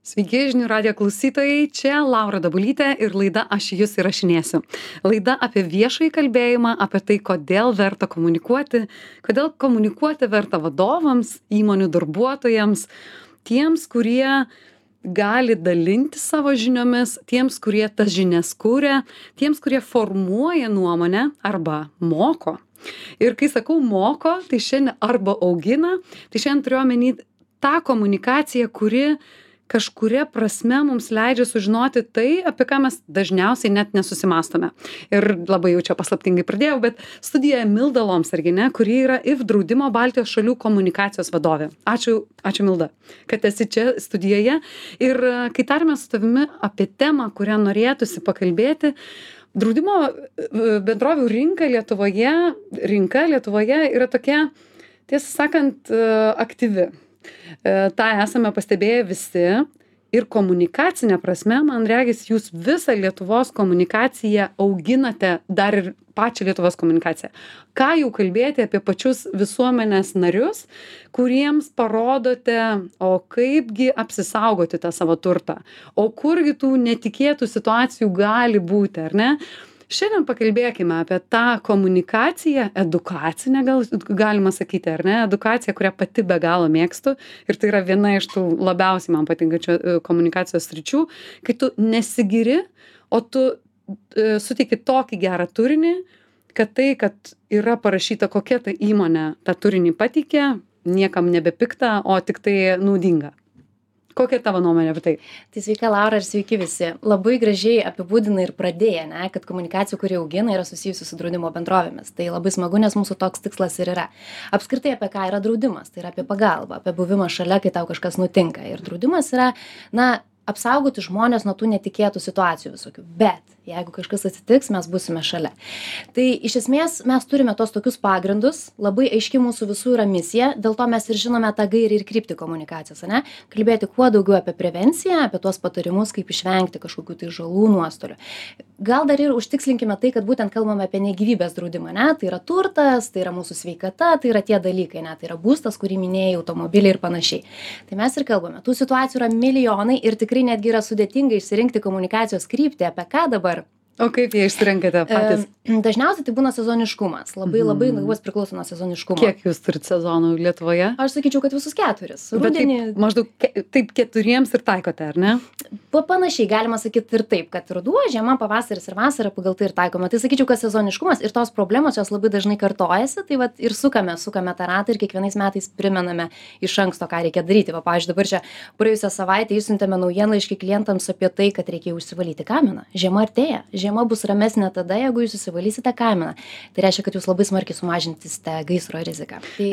Sveiki, žinių radijo klausytojai, čia Laura Dabulytė ir laida Aš jus įrašinėsiu. Laida apie viešąjį kalbėjimą, apie tai, kodėl verta komunikuoti, kodėl komunikuoti verta vadovams, įmonių darbuotojams, tiems, kurie gali dalinti savo žiniomis, tiems, kurie tas žinias kūrė, tiems, kurie formuoja nuomonę arba moko. Ir kai sakau moko, tai šiandien arba augina, tai šiandien turiu omeny tą komunikaciją, kuri kažkuria prasme mums leidžia sužinoti tai, apie ką mes dažniausiai net nesusimastome. Ir labai jau čia paslaptingai pradėjau, bet studijoje Milda Lomsargienė, kuri yra IF draudimo Baltijos šalių komunikacijos vadovė. Ačiū Milda, kad esi čia studijoje. Ir kai tarėme su tavimi apie temą, kurią norėtųsi pakalbėti, draudimo bendrovių rinka Lietuvoje yra tokia, tiesą sakant, aktyvi. Ta esame pastebėję visi ir komunikacinė prasme, man regis, jūs visą Lietuvos komunikaciją auginate, dar ir pačią Lietuvos komunikaciją. Ką jau kalbėti apie pačius visuomenės narius, kuriems parodote, o kaipgi apsisaugoti tą savo turtą, o kurgi tų netikėtų situacijų gali būti, ar ne? Šiandien pakalbėkime apie tą komunikaciją, edukacinę galima sakyti, ar ne? Edukaciją, kurią pati be galo mėgstu ir tai yra viena iš tų labiausiai man patinkančių komunikacijos sričių, kai tu nesigiri, o tu suteiki tokį gerą turinį, kad tai, kad yra parašyta, kokia ta įmonė tą turinį pateikė, niekam nebepikta, o tik tai naudinga. Kokia tavo nuomonė apie tai? Tai sveika Laura ir sveiki visi. Labai gražiai apibūdina ir pradėję, kad komunikacija, kuri augina, yra susijusi su draudimo bendrovėmis. Tai labai smagu, nes mūsų toks tikslas ir yra. Apskritai apie ką yra draudimas? Tai yra apie pagalbą, apie buvimą šalia, kai tau kažkas nutinka. Ir draudimas yra, apsaugoti žmonės nuo tų netikėtų situacijų visokių. Bet jeigu kažkas atsitiks, mes būsime šalia. Tai iš esmės mes turime tos tokius pagrindus, labai aiški mūsų visų yra misija, dėl to mes ir žinome tą gairį ir kryptį komunikacijos, kalbėti kuo daugiau apie prevenciją, apie tuos patarimus, kaip išvengti kažkokių tai žalų nuostolių. Gal dar ir užtikslinkime tai, kad būtent kalbame apie negyvybės draudimą, tai yra turtas, tai yra mūsų sveikata, tai yra tie dalykai, tai yra būstas, kurį minėjai, automobiliai ir panašiai. Tai mes ir kalbame. Tų situacijų yra milijonai ir tikrai netgi yra sudėtinga išsirinkti komunikacijos kryptį, apie ką dabar. O kaip jie išsirenkate patys? Dažniausiai tai būna sezoniškumas. Labai priklauso nuo sezoniškumo. Kiek jūs turite sezonų Lietuvoje? Aš sakyčiau, kad visus 4. Rudenį... Maždaug taip 4 ir taikote, ar ne? Panašiai galima sakyti ir taip, kad ruduo, žiema, pavasaris ir vasara pagal tai ir taikoma. Tai sakyčiau, kad sezoniškumas ir tos problemos jos labai dažnai kartojasi, tai vat ir sukame tą ratą ir kiekvienais metais primename iš anksto, ką reikia daryti. Pavyzdžiui, dabar čia praėjusią savaitę išsiuntėme naujienlaiškį klientams apie tai, kad reikia užsivalyti kaminą. Žiema artėja. Žiema bus ramesnė tada, jeigu jūs įsivalysite kaminą. Tai reiškia, kad jūs labai smarkiai sumažinsite gaisro riziką. Tai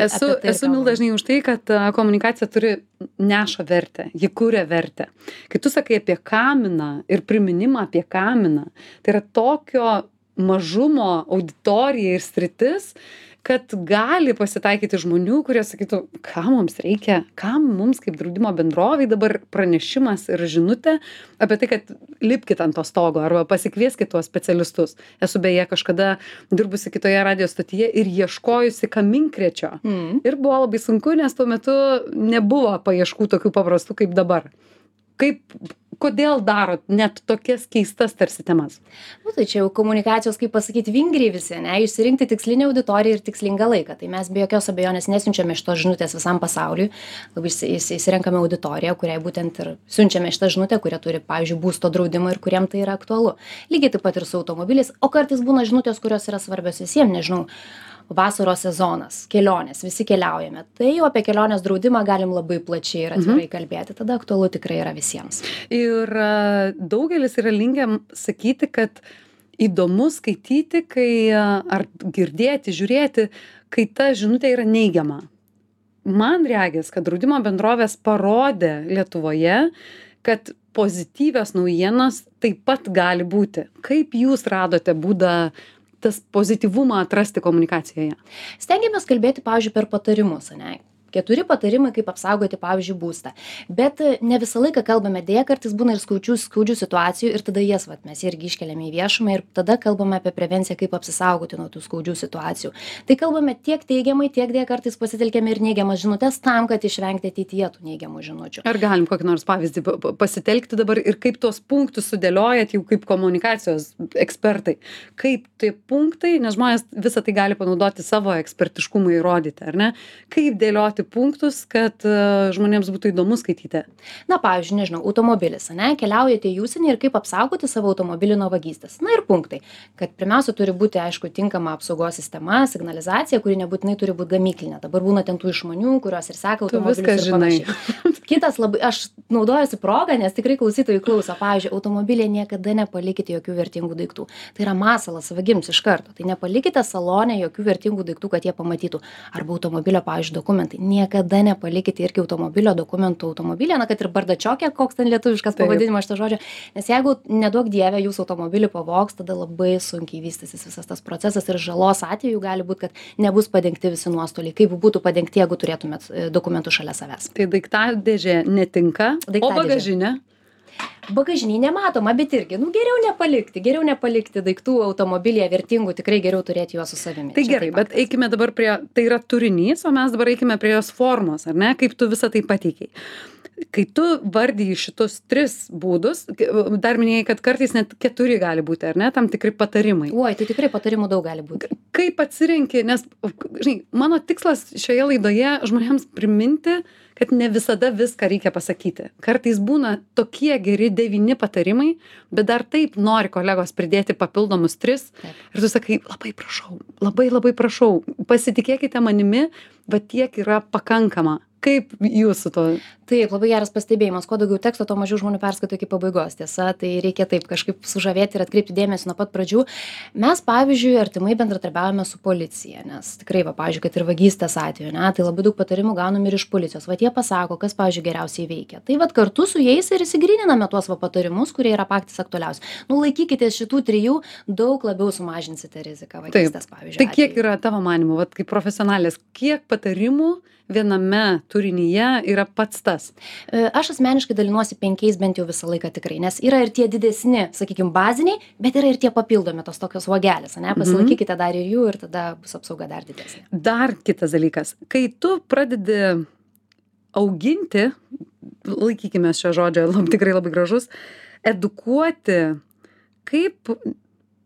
esu Milda dažnai už tai, kad komunikacija neša vertę, ji kuria vertę. Kai tu sakai apie kaminą ir priminimą apie kaminą, tai yra tokio mažumo auditorija ir sritis, kad gali pasitaikyti žmonių, kurie sakytų, ką mums reikia, kam mums kaip draudimo bendroviai dabar pranešimas ir žinutė apie tai, kad lipkit ant to stogo arba pasikvieskit tuos specialistus. Esu beje kažkada dirbusi kitoje radio stotyje ir ieškojusi kaminkrečio. Ir buvo labai sunku, nes tuo metu nebuvo paieškų tokių paprastų kaip dabar. Kodėl darot net tokias keistas tarsi temas? Tai čia jau komunikacijos, kaip pasakyti, vingriai visi, išsirinkti tikslinę auditoriją ir tikslingą laiką. Tai mes be jokios abejonės nesiunčiame šitos žinutės visam pasauliui, labai įsirenkame auditoriją, kuriai būtent ir siunčiame šitą žinutę, kurie turi, pavyzdžiui, būsto draudimą ir kuriem tai yra aktualu. Lygiai taip pat ir su automobiliais, o kartais būna žinutės, kurios yra svarbios visiems, nežinau, vasaros sezonas, kelionės, visi keliaujame. Tai jau apie kelionės draudimą galim labai plačiai ir atvirai kalbėti, tada aktualu tikrai yra visiems. Ir daugelis yra linkę sakyti, kad įdomu skaityti, ar girdėti, žiūrėti, kai ta žinutė yra neigiama. Man regis, kad draudimo bendrovės parodė Lietuvoje, kad pozityvios naujienos taip pat gali būti. Kaip jūs radote būdą tas pozityvumą atrasti komunikacijoje? Stengiamės kalbėti, pavyzdžiui, per patarimus, 4 patarimai, kaip apsaugoti, pavyzdžiui, būstą. Bet ne visą laiką kalbame, dėja kartais būna ir skaudžių situacijų ir tada jas mes irgi iškeliame į viešumą ir tada kalbame apie prevenciją, kaip apsisaugoti nuo tų skaudžių situacijų. Tai kalbame tiek teigiamai, tiek dėja kartais pasitelkėme ir neigiamas žinutės tam, kad išvengti ateityje tų neigiamų žinučių. Ar galim kokį nors pavyzdį pasitelkti dabar ir kaip tuos punktus sudėliojat jau kaip komunikacijos ekspertai? Kaip tie punktai, nes žmonės visą tai gali panaudoti savo ekspertiškumą įrodyti, ar ne? Kaip dėlioti punktus, kad žmonėms būtų įdomu skaityti? Na, pavyzdžiui, nežinau, automobilis, ne, keliaujate į užsienį ir kaip apsaugoti savo automobilį nuo vagystės. Na ir punktai, kad pirmiausia turi būti, aišku, tinkama apsaugos sistema, signalizacija, kuri nebūtinai turi būti gamyklinė. Dabar būna ten tų išmanių, kurios ir seka automobilius ir panašiai. Kitas labai, aš naudojuosi progą, nes tikrai klausytojai klauso, pavyzdžiui, automobilėje niekada nepalikite jokių vertingų daiktų. Tai yra masalas vagims iš karto. Tai nepalikite salone jokių vertingų daiktų, kad jie pamatytų. Arba automobilio, pavyzdžiui, dokumentai. Niekada nepalikite irgi automobilio dokumentų automobilė, na, kad ir bardačiokė, koks ten lietuviškas pavadinimas šito žodžio. Nes jeigu neduok dievė jūsų automobilį pavogs, tada labai sunkiai vystysis visas tas procesas ir žalos atveju gali būti, kad nebus padengti visi nuostoliai. Kaip būtų padengti, jeigu turėtumėt dokumentų šalia savęs. Tai daiktadėžė netinka, o bagažinė? Bagažinė nematoma, bet irgi, geriau nepalikti daiktų automobilyje vertingų, tikrai geriau turėti juos su savimi. Tai gerai, bet eikime dabar tai yra turinys, o mes dabar eikime prie jos formos, ar ne, kaip tu visą tai pateikiai. Kai tu vardyji šitus 3 būdus, dar minėjai, kad kartais net 4 gali būti, ar ne, tam tikri patarimai. Oi, tai tikrai patarimų daug gali būti. Kaip atsirenki, nes, žinai, mano tikslas šioje laidoje žmonėms priminti, kad ne visada viską reikia pasakyti. Kartais būna tokie geri 9 patarimai, bet dar taip nori kolegos pridėti papildomus 3. Taip. Ir tu sakai, labai prašau, pasitikėkite manimi, bet tiek yra pakankama. Kaip jūs su to? Taip, labai geras pastebėjimas. Kuo daugiau teksto, to mažiau žmonių perskaito iki pabaigos. Tiesa, tai reikia taip kažkaip sužavėti ir atkreipti dėmesį nuo pat pradžių. Mes, pavyzdžiui, artimai bendradarbiavome su policija, nes tikrai, pavyzdžiui, kad ir vagystės atveju, ne, tai labai daug patarimų gaunam ir iš policijos. Jie pasako, kas, pavyzdžiui, geriausiai veikia. Tai kartu su jais ir įsigryniname tuos patarimus, kurie yra patys aktualiausi. Laikykitės šitų 3, daug labiau sumažinsite riziką vagystės, pavyzdžiui. Tai kiek yra tavo manymu, kaip profesionalės, kiek patarimų viename turinyje yra pats tas? Aš asmeniškai dalinuosi 5 bent jau visą laiką tikrai, nes yra ir tie didesni, sakykime, baziniai, bet yra ir tie papildomi, tos tokios vogelės, ne? Pasilaikykite dar ir jų ir tada bus apsauga dar didesnė. Dar kitas dalykas, kai tu pradedi auginti, laikykime šio žodžio, tikrai labai gražus, edukuoti, kaip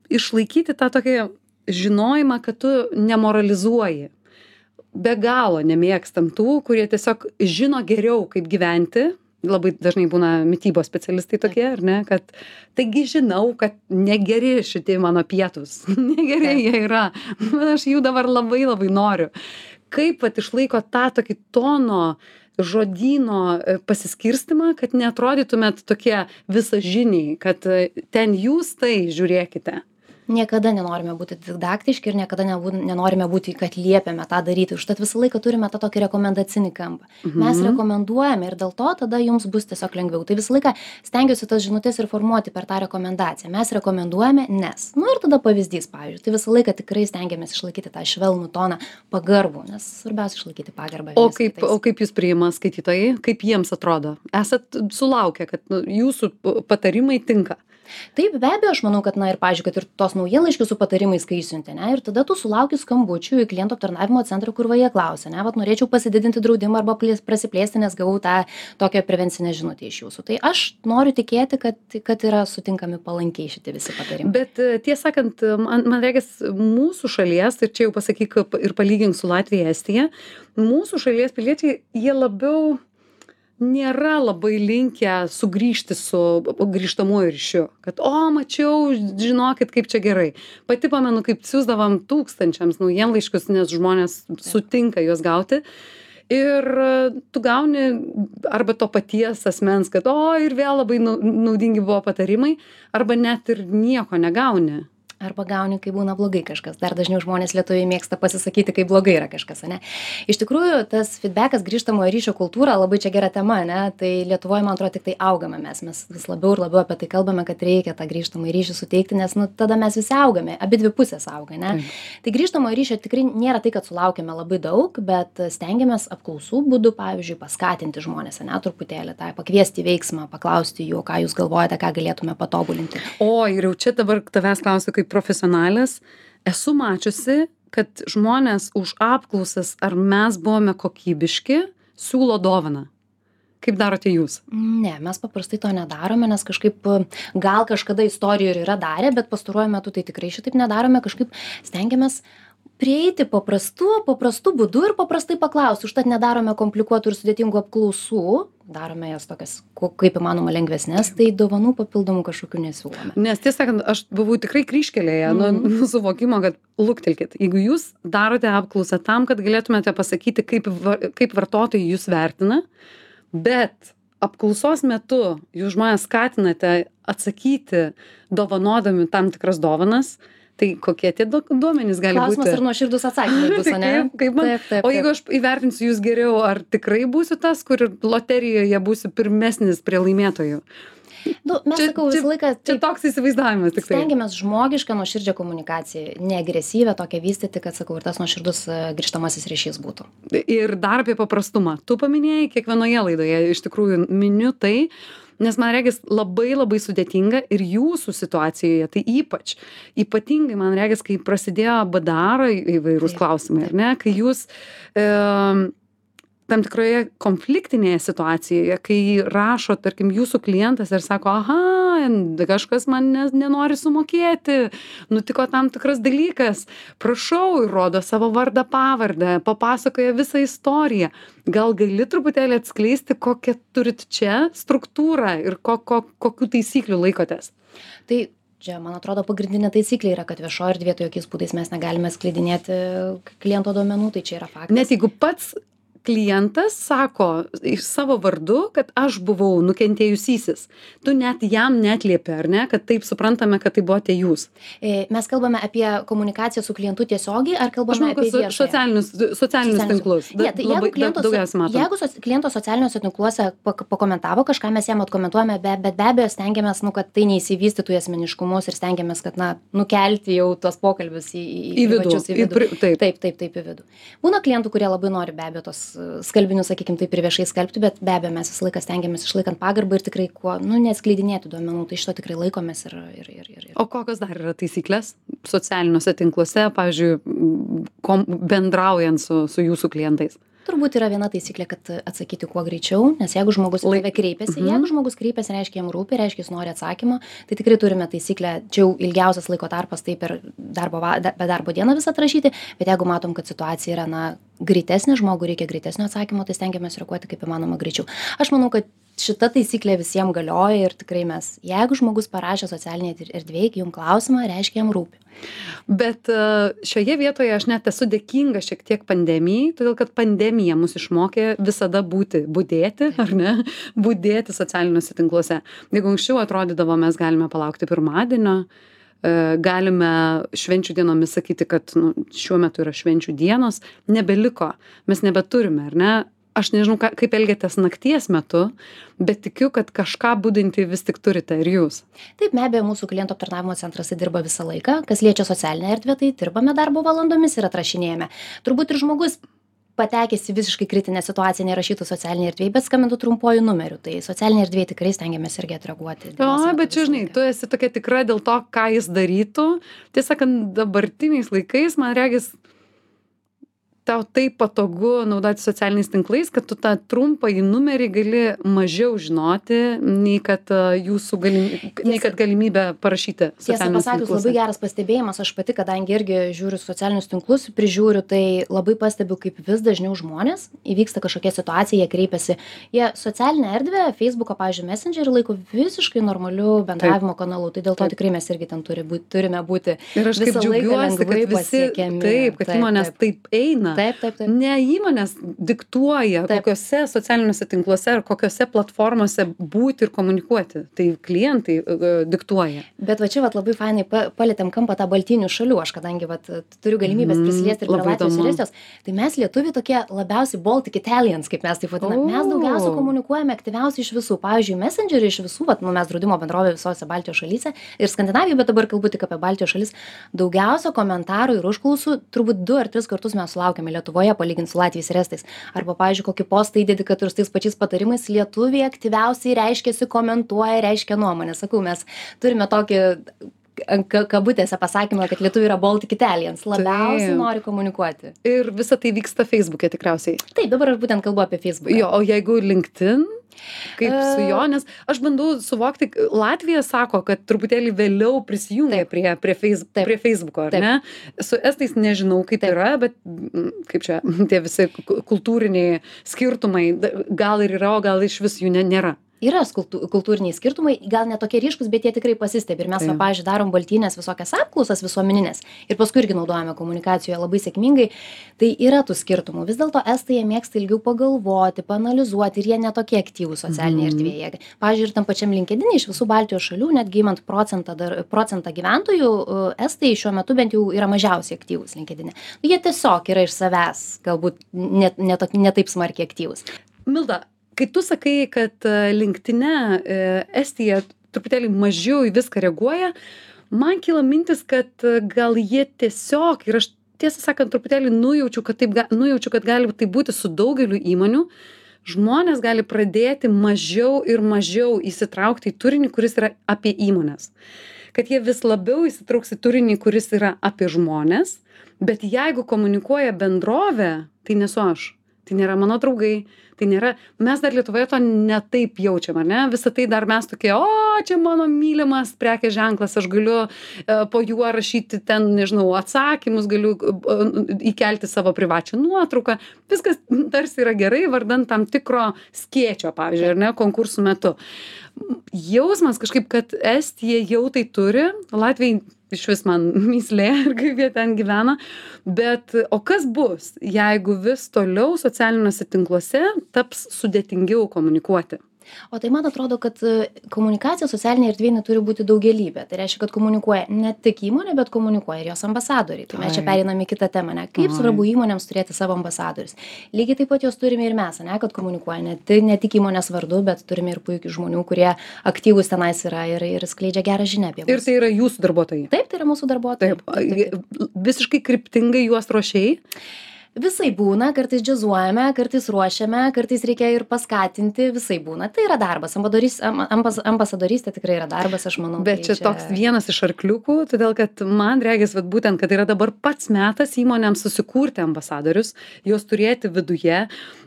išlaikyti tą tokį žinojimą, kad tu nemoralizuoji. Be galo nemėgstam tų, kurie tiesiog žino geriau, kaip gyventi. Labai dažnai būna mitybos specialistai tokie, ar ne, kad taigi žinau, kad negeri šitie mano pietus, negeri jie yra, aš jų dabar labai noriu. Kaip išlaiko tą tokį tono, žodyno pasiskirstimą, kad neatrodytumėt tokie visažiniai, kad ten jūs tai žiūrėkite. Niekada nenorime būti didaktiški ir niekada nenorime būti, kad liepiame tą daryti. Užtat visą laiką turime tą tokį rekomendacinį kampą. Mes rekomenduojame ir dėl to tada jums bus tiesiog lengviau. Tai visą laiką stengiuosi tas žinutės ir formuoti per tą rekomendaciją. Mes rekomenduojame, nes. Ir tada pavyzdys, pavyzdžiui. Tai visą laiką tikrai stengiamės išlaikyti tą švelnų toną, pagarbų, nes svarbiausia išlaikyti pagarbą. O kaip jūs priima skaitytojai? Kaip jiems atrodo? Esat sulaukę, kad jūsų patarimai tinka? Taip, be abejo, aš manau, kad, ir, pavyzdžiui, kad ir tos naujienlaiškius su patarimais, kai išsiuntė, ir tada tu sulauki skambučių į klientų aptarnavimo centrą, kur jie klausia, norėčiau pasididinti draudimą arba prasiplėsti, nes gavau tą tokią prevencinę žinutę iš jūsų. Tai aš noriu tikėti, kad yra sutinkami palankiai šitie visi patarimai. Bet tiesą sakant, man regis, mūsų šalies, ir čia jau pasakyk ir palygink su Latvija, Estija, mūsų šalies piliečiai, jie labiau nėra labai linkę sugrįžti su grįžtamuoju ryšiu, kad, mačiau, žinokit, kaip čia gerai. Pati pamenu, kaip siųsdavom tūkstančiams naujienlaiškius, nes žmonės sutinka juos gauti. Ir tu gauni arba to paties asmens, kad, ir vėl labai naudingi buvo patarimai, arba net ir nieko negauni. arba gauni, kai būna blogai kažkas. Dar dažniau žmonės lietuviai mėgsta pasisakyti, kai blogai yra kažkas, ne? Iš tikrųjų, tas feedbackas, grįžtamojo ryšio kultūra, labai čia gera tema, ne? Tai Lietuvoje, man atrodo, tik tai augame mes vis labiau ir labiau apie tai kalbame, kad reikia tą grįžtamąjį ryšį suteikti, nes tada mes visi augame, abi dvi pusės auga, ne? Tai grįžtamojo ryšio tikrai nėra tai, kad sulaukime labai daug, bet stengiamės apklausų būdu, pavyzdžiui, paskatinti žmonės, ne, truputėlį, tai pakviesti veiksmą, paklausti jų, ką jūs galvojate, ką galėtume patobulinti. O, ir jau čia dabar tavęs klausiu kaip profesionalės, esu mačiusi, kad žmonės už apklausas, ar mes buvome kokybiški, siūlo dovaną. Kaip darote jūs? Ne, mes paprastai to nedarome, nes kažkaip gal kažkada istorijų ir yra darę, bet pastaruoju metu tai tikrai šitaip nedarome, kažkaip stengiamės prieiti paprastu būdu ir paprastai paklausti. Užtat nedarome komplikuotų ir sudėtingų apklausų, darome jas tokias kaip įmanoma lengvesnės, tai dovanų papildomų kažkokių nesiūlome. Nes tiesą sakant, aš buvau tikrai kryžkelėje nuo suvokimo, kad luktelkit, jeigu jūs darote apklausą tam, kad galėtumėte pasakyti, kaip vartotojai jūs vertina, bet apklausos metu jūs žmonės skatinate atsakyti dovanodami tam tikras dovanas, tai kokie tie duomenys gali būti? Klausimas ir nuoširdus atsakymai bus, ne? Kaip man? Taip. O jeigu aš įvertinsiu jūs geriau, ar tikrai būsiu tas, kur loterijoje būsiu pirmesnis prie laimėtojų? Mes sakau visą laiką... Čia toks įsivaizdavimas tik tai. Stengiamės žmogišką nuoširdžią komunikaciją, neagresyvę tokią vystyti, kad, sakau, ir tas nuoširdus grįžtamasis ryšys būtų. Ir dar apie paprastumą. Tu paminėjai kiekvienoje laidoje, iš tikrųjų miniu tai, nes man regis labai labai sudėtinga ir jūsų situacijoje, tai ypatingai man regis, kai prasidėjo BDR įvairūs klausimai, ar ne, kai jūs tam tikroje konfliktinėje situacijoje, kai rašo, tarkim, jūsų klientas ir sako, aha, kažkas man nenori sumokėti, nutiko tam tikras dalykas, prašau, ir rodo savo vardą, pavardę, papasakoja visą istoriją. Gal gali truputėlį atskleisti, kokią turit čia struktūrą ir kokių taisyklių laikotės? Tai čia, man atrodo, pagrindinė taisyklė yra, kad viešoje erdvėje jokiais būdais mes negalime skleidinėti kliento duomenų, tai čia yra faktas. Net jeigu pats klientas sako iš savo vardu, kad aš buvau nukentėjusysis. Tu net jam netliepi, ar ne, kad taip suprantame, kad tai buvote jūs. Mes kalbame apie komunikaciją su klientu tiesiogiai, ar kalbame apie viešąją? Socialinius tinklus. Jeigu kliento socialiniuose tinkluose pakomentavo kažką, mes jam atkomentuojame, bet be abejo stengiamės, kad tai neįsivystytų į asmeniškumus ir stengiamės, kad nukelti jau tuos pokalbius į vidų. Taip, į vidų. Būna klientų, kurie labai nori be abejo tos skalbinius, sakykim, taip ir viešai skelbti, bet be abejo mes visą laiką stengiamės išlaikant pagarbą ir tikrai kuo, neatskleidinėti duomenų, tai šito tikrai laikomės ir. O kokios dar yra taisyklės socialiniuose tinkluose, pavyzdžiui, bendraujant su jūsų klientais? Turbūt yra viena taisyklė, kad atsakyti kuo greičiau, nes jeigu žmogus kreipiasi, reiškia jam rūpi, reiškia jis nori atsakymo, tai tikrai turime taisyklę, čia jau ilgiausias laiko tarpas, tai per darbo dieną visą atrašyti, bet jeigu matom, kad situacija yra, greitesnė, žmogui reikia greitesnio atsakymo, tai stengiamės reaguoti kaip įmanoma greičiau. Aš manau, kad šita taisyklė visiems galioja ir tikrai jeigu žmogus parašė socialinėje erdvėje jums klausimą, reiškia jam rūpi. Bet šioje vietoje aš net esu dėkinga šiek tiek pandemijai, todėl kad pandemija mus išmokė visada budėti, ar ne, budėti socialiniuose tinkluose. Jeigu anksčiau atrodydavo, mes galime palaukti pirmadienio, galime švenčių dienomis sakyti, kad šiuo metu yra švenčių dienos, nebeliko, mes nebeturime, ar ne? Aš nežinau, kaip elgiatės nakties metu, bet tikiu, kad kažką budinti vis tik turite ir jūs. Taip, be abejo, mūsų klientų aptarnavimo centras dirba visą laiką. Kas liečia socialinę erdvę, tai dirbame darbo valandomis ir atrašinėjame. Turbūt ir žmogus patekęs į visiškai kritinę situaciją nerašytų socialinėje erdvėje, bet skambintų trumpuoju numeriu. Tai socialinėje erdvėje tikrai stengiamės irgi atreaguoti. Bet čia, žinai, tu esi tokia tikra dėl to, ką jis darytų. Tiesą sakant, dabartiniais laikais, man regis, tau taip patogu naudoti socialiniais tinklais, kad tu tą trumpąjį numerį gali mažiau žinoti, nei kad galimybę parašyti socialinius tinklus. Tiesą pasakius, labai geras pastebėjimas. Aš pati, kadangi irgi žiūriu socialinius tinklus, prižiūriu, tai labai pastebiu, kaip vis dažniau žmonės įvyksta kažkokia situacija, jie kreipiasi. Jie socialinę erdvę, Facebooką, pavyzdžiui, Messengerį laiko visiškai normaliu bendravimo kanalu. Tai dėl to tikrai mes irgi ten turime būti. Ir aš kaip džiaugiuosi, kad visi, kad įmonės taip eina Taip. Ne įmonės diktuoja, kokiuose socialiniuose tinkluose ar kokiuose platformose būti ir komunikuoti. Tai klientai diktuoja. Bet va čia labai fainai palėtėm kampą tą baltinių šalių. Aš kadangi turiu galimybės prisiliesti ir prie Latvijos ir Estijos, tai mes lietuviai tokie labiausiai Baltic Italians, kaip mes taip vadiname. Mes daugiausia komunikuojame aktyviausiai iš visų. Pavyzdžiui, Messengerį iš visų, mes draudimo bendrovė visose Baltijos šalyse ir Skandinavijoje, bet dabar kalbu tik apie Baltijos šalis. Daugiausia komentarų ir užklausų, turbūt 2 ar 3 kartus mes sulaukėme Lietuvoje, palyginti su Latvijais ir Estais. Arba, pavyzdžiui, kokį postą įdedi, kad ir su tais pačiais patarimais lietuviai aktyviausiai reiškiasi, komentuoja, reiškia nuomonę. Sakau, mes turime tokį kabutėse pasakymą, kad lietuviai yra Baltic Italians, labiausiai nori komunikuoti. Ir visa tai vyksta Facebook'e tikriausiai. Taip, dabar aš būtent kalbu apie Facebook'ą. Jo, o jeigu LinkedIn, kaip su jo, nes aš bandau suvokti, Latvija sako, kad truputėlį vėliau prisijungia prie Facebook'o, ar ne? Su Estais nežinau, kaip yra, bet kaip čia, tie visi kultūriniai skirtumai, gal ir yra, o gal iš vis jų nėra. Yra kultūriniai skirtumai, gal ne tokie ryškus, bet jie tikrai pasistebi. Ir mes, pavyzdžiui, darom baltynės visokias apklausas visuomeninės ir paskui irgi naudojame komunikacijoje labai sėkmingai. Tai yra tų skirtumų. Vis dėlto Estai jie mėgsta ilgiau pagalvoti, paanalizuoti ir jie netokie aktyvūs socialinėje erdvėje. Pavyzdžiui, ir tam pačiam LinkedIn'e iš visų Baltijos šalių, netgi imant procentą gyventojų, Estai šiuo metu bent jau yra mažiausiai aktyvūs LinkedIn'e. Jie tiesiog yra iš savęs, galbūt ne taip smarkiai aktyvūs. Milda, kai tu sakai, kad LinkedIn'e Estija truputėlį mažiau į viską reaguoja, man kyla mintis, kad gal jie tiesiog, ir aš tiesą sakant truputėlį nujaučiu, kad gali tai būti su daugeliu įmonių, žmonės gali pradėti mažiau ir mažiau įsitraukti į turinį, kuris yra apie įmones. Kad jie vis labiau įsitrauks į turinį, kuris yra apie žmones, bet jeigu komunikuoja bendrovė, tai nesu aš. Tai nėra mano draugai, tai nėra, mes dar Lietuvoje to netaip jaučiam, ar ne? Visą tai dar mes tokie, čia mano mylimas prekės ženklas, aš galiu po juo rašyti ten, nežinau, atsakymus, galiu įkelti savo privačią nuotrauką. Viskas tarsi yra gerai, vardant tam tikro skėčio, pavyzdžiui, ar ne, konkursų metu. Jausmas kažkaip, kad Estija jau tai turi, Latvijai iš vis man myslė ir kaip jie ten gyvena, bet o kas bus, jeigu vis toliau socialiniuose tinkluose taps sudėtingiau komunikuoti? O tai man atrodo, kad komunikacija socialinėje erdvėje turi būti daugelybė. Tai reiškia, kad komunikuoja ne tik įmonė, bet komunikuoja ir jos ambasadoriai. Tai mes čia pereiname į kitą temą, ne? Kaip svarbu įmonėms turėti savo ambasadorius. Lygiai taip pat jos turime ir mes, ne? Kad komunikuoja ne tik įmonės vardu, bet turime ir puikių žmonių, kurie aktyvūs tenais yra ir skleidžia gerą žinią apie mus. Ir tai yra jūsų darbuotojai? Taip, tai yra mūsų darbuotojai. Taip. Visiškai kryptingai juos ruošiai? Visai būna, kartais džiazuojame, kartais ruošiame, kartais reikia ir paskatinti, visai būna. Tai yra darbas, ambasadorystė tikrai yra darbas, aš manau. Bet čia toks vienas iš arkliukų, todėl kad man regis, būtent, kad yra dabar pats metas įmonėms susikurti ambasadorius, juos turėti viduje.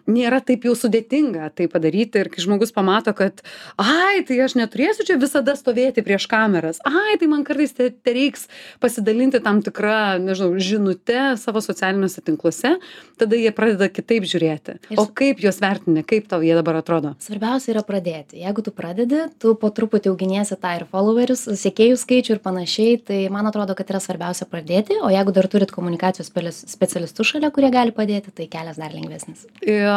Nėra taip jau sudėtinga tai padaryti ir kai žmogus pamato, kad tai aš neturėsiu čia visada stovėti prieš kameras, tai man kartais reiks pasidalinti tam tikrą, nežinau, žinutę savo socialiniuose tinkluose, tada jie pradeda kitaip žiūrėti. O kaip juos vertini, kaip tau jie dabar atrodo? Svarbiausia yra pradėti. Jeigu tu pradedi, tu po truputį auginiesi tą ir followerius, sekėjų skaičių ir panašiai, tai man atrodo, kad yra svarbiausia pradėti, o jeigu dar turit komunikacijos specialistų šalia, kurie gali padėti, tai kelias dar lengvesnis.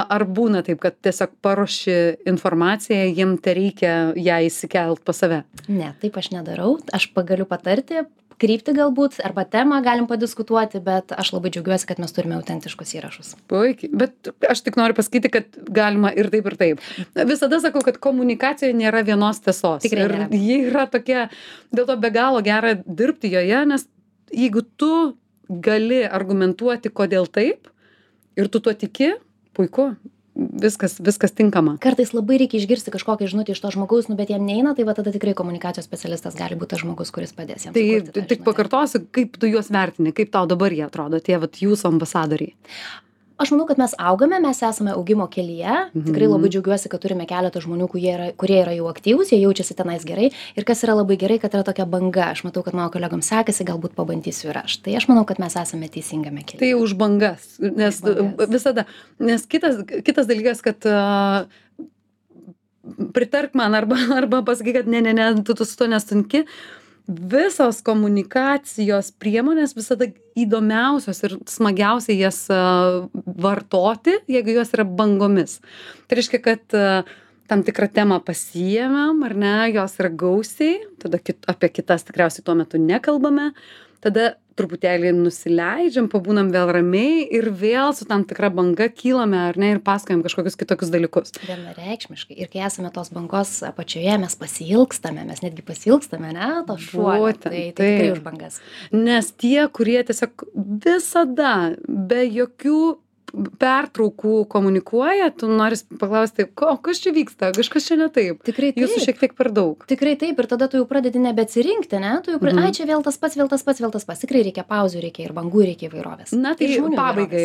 Ar būna taip, kad tiesiog paruoši informaciją, jiem reikia ją įsikelt pas save? Ne, taip aš nedarau. Aš galiu patarti, kryptį galbūt, arba temą galim padiskutuoti, bet aš labai džiaugiuosi, kad mes turime autentiškus įrašus. Puikiai, bet aš tik noriu pasakyti, kad galima ir taip, ir taip. Visada sakau, kad komunikacijoje nėra vienos tiesos. Tikrai ir nėra. Ji yra tokia, dėl to be galo gera dirbti joje, nes jeigu tu gali argumentuoti, kodėl taip, ir tu tuo tiki, puiku. Viskas tinkama. Kartais labai reikia išgirsti kažkokią žinutę iš to žmogaus, bet jam neina, tai tada tikrai komunikacijos specialistas gali būti tas žmogus, kuris padės jam. Tai tik pakartosiu, kaip tu juos vertini, kaip tau dabar jie atrodo, tie jūsų ambasadoriai. Aš manau, kad mes augame, mes esame augimo kelyje. Tikrai labai džiaugiuosi, kad turime keletą žmonių, kurie yra jau aktyvūs, jie jaučiasi tenais gerai. Ir kas yra labai gerai, kad yra tokia banga. Aš matau, kad mano kolegoms sekasi, galbūt pabandysiu ir aš. Tai aš manau, kad mes esame teisingame kelyje. Tai už bangas, nes visada. Nes kitas dalykas, kad pritark man arba pasakyk, kad ne, tu su to nesunki. visos komunikacijos priemonės visada įdomiausios ir smagiausia jas vartoti, jeigu jos yra bangomis. Tai reiškia, kad tam tikrą temą pasiėmėm, ar ne, jos yra gausiai, tada apie kitas tikriausiai tuo metu nekalbame, tada truputėlį nusileidžiam, pabūnam vėl ramiai ir vėl su tam tikra banga kylame, ar ne, ir pasakojam kažkokius kitokius dalykus. Vienareikšmiškai. Ir kai esame tos bangos apačioje, mes pasiilgstame, mes netgi pasiilgstame, ne, to šuolio. Tai tikrai už bangas. Nes tie, kurie tiesiog visada be jokių pertraukų komunikuoja, tu nori paklausti, kas čia vyksta, kažkas čia ne taip. Tikrai taip. Jūsų šiek tiek per daug. Tikrai taip, ir tada tu jau pradedi nebeatsirinkti, ne? Tu jau ai, čia vėl tas pats. Tikrai reikia pauzių, reikia ir bangų, reikia įvairovės. Na tai pabaigai,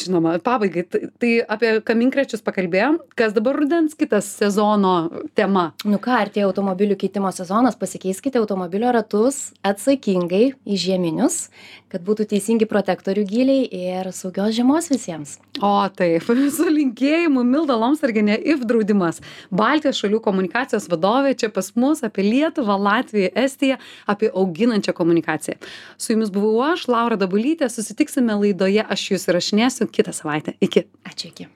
žinoma, pabaigai, tai apie kaminkrečius pakalbėjom, kas dabar rudens kitas sezono tema. Nu ką, artėja automobilių keitimo sezonas, pasikeiskite automobilio ratus atsakingai į žieminius, kad būtų teisingi protektorių gyliai ir saugios žiemos visiems. O taip, su linkėjimu Milda Lomsargienė IF draudimas, Baltijos šalių komunikacijos vadovė, čia pas mus apie Lietuvą, Latviją, Estiją, apie auginančią komunikaciją. Su jumis buvau aš, Laura Dabulytė, susitiksime laidoje Aš jus įrašinėsiu kitą savaitę. Iki. Ačiū, iki.